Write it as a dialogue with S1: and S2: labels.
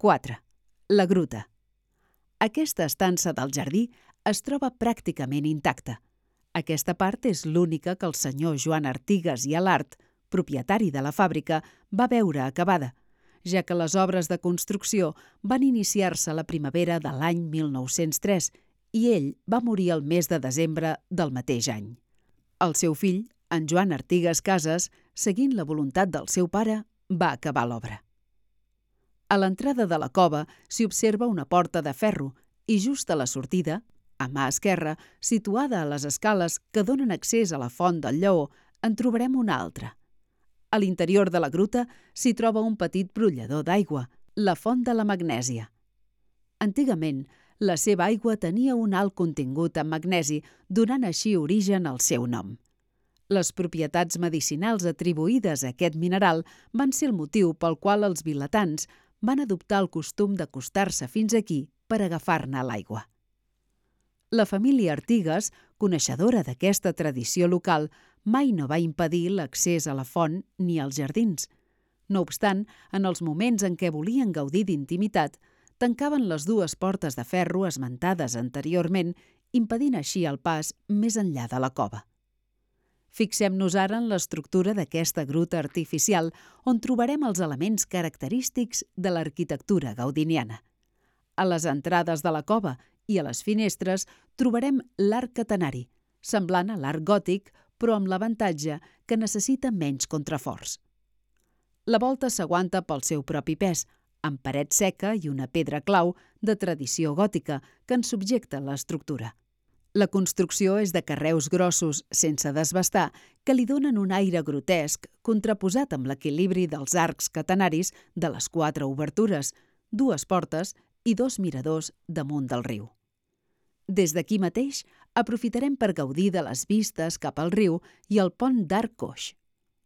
S1: 4. La gruta. Aquesta estança del jardí es troba pràcticament intacta. Aquesta part és l'única que el senyor Joan Artigas i Alart, propietari de la fàbrica, va veure acabada, ja que les obres de construcció van iniciar-se a la primavera de l'any 1903 i ell va morir el mes de desembre del mateix any. El seu fill, en Joan Artigas Casas, seguint la voluntat del seu pare, va acabar l'obra. A l'entrada de la cova s'hi observa una porta de ferro i just a la sortida, a mà esquerra, situada a les escales que donen accés a la font del Lleó, en trobarem una altra. A l'interior de la gruta s'hi troba un petit brollador d'aigua, la font de la magnèsia. Antigament, la seva aigua tenia un alt contingut en magnesi, donant així origen al seu nom. Les propietats medicinals atribuïdes a aquest mineral van ser el motiu pel qual els vilatans van adoptar el costum d'acostar-se fins aquí per agafar-ne l'aigua. La família Artigas, coneixedora d'aquesta tradició local, mai no va impedir l'accés a la font ni als jardins. No obstant, en els moments en què volien gaudir d'intimitat, tancaven les dues portes de ferro esmentades anteriorment, impedint així el pas més enllà de la cova. Fixem-nos ara en l'estructura d'aquesta gruta artificial, on trobarem els elements característics de l'arquitectura gaudiniana. A les entrades de la cova i a les finestres trobarem l'arc catenari, semblant a l'arc gòtic, però amb l'avantatge que necessita menys contraforts. La volta s'aguanta pel seu propi pes, amb paret seca i una pedra clau de tradició gòtica que en subjecta l'estructura. La construcció és de carreus grossos, sense desbastar, que li donen un aire grotesc contraposat amb l'equilibri dels arcs catenaris de les 4 obertures, 2 portes i 2 miradors damunt del riu. Des d'aquí mateix aprofitarem per gaudir de les vistes cap al riu i el pont d'Arc Coix.